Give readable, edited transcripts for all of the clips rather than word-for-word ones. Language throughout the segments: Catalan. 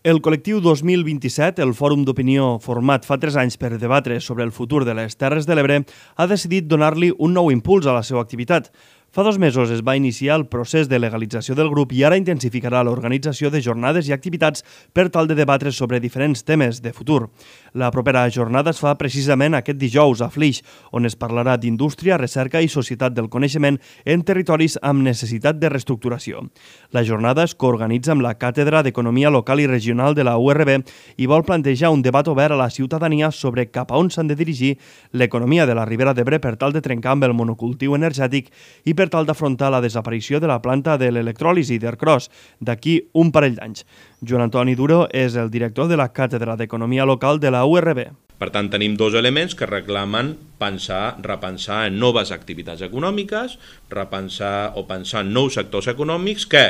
El col·lectiu 2027, el fòrum d'opinió format fa 3 anys per debatre sobre el futur de les Terres de l'Ebre, ha decidit donar-li un nou impuls a la seva activitat. Fa 2 mesos es va iniciar el procés de legalització del grup i ara intensificarà l'organització de jornades i activitats per tal de debatre sobre diferents temes de futur. La propera jornada es fa precisament aquest dijous a Flix, on es parlarà d'indústria, recerca i societat del coneixement en territoris amb necessitat de reestructuració. La jornada es coorganitza amb la Càtedra d'Economia Local i Regional de la URB i vol plantejar un debat obert a la ciutadania sobre cap a on s'han de dirigir l'economia de la Ribera d'Ebre per tal de trencar amb el monocultiu energètic i per tal d'afrontar la desaparició de la planta de l'electròlisi d'Ercros d'aquí un parell d'anys. Joan Antoni Duro és el director de la Càtedra d'Economia Local de la URB. Per tant, tenim 2 elements que reclamen repensar en noves activitats econòmiques, pensar en nous sectors econòmics que,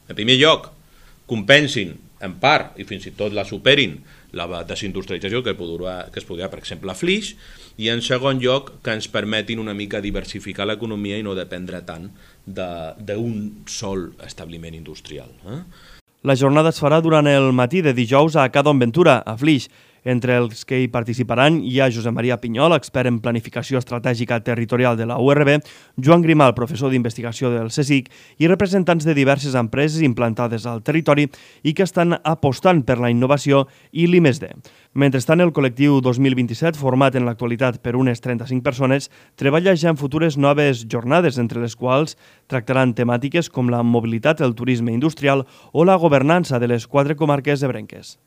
en primer lloc, compensin en part i fins i tot la superin la desindustrialització que es podrà, per exemple, a Flix, i en segon lloc que ens permetin una mica diversificar l'economia i no dependre tant d'un sol establiment industrial. La jornada es farà durant el matí de dijous a Ca Don Ventura, a Flix. Entre els que hi participaran hi ha Josep Maria Pinyol, expert en planificació estratègica territorial de la URB, Joan Grimal, professor d'investigació del CSIC, i representants de diverses empreses implantades al territori i que estan apostant per la innovació i l'I+D. Mentrestant, el col·lectiu 2027, format en l'actualitat per unes 35 persones, treballa ja en futures noves jornades, entre les quals tractaran temàtiques com la mobilitat, el turisme industrial o la governança de les 4 comarques ebrenques.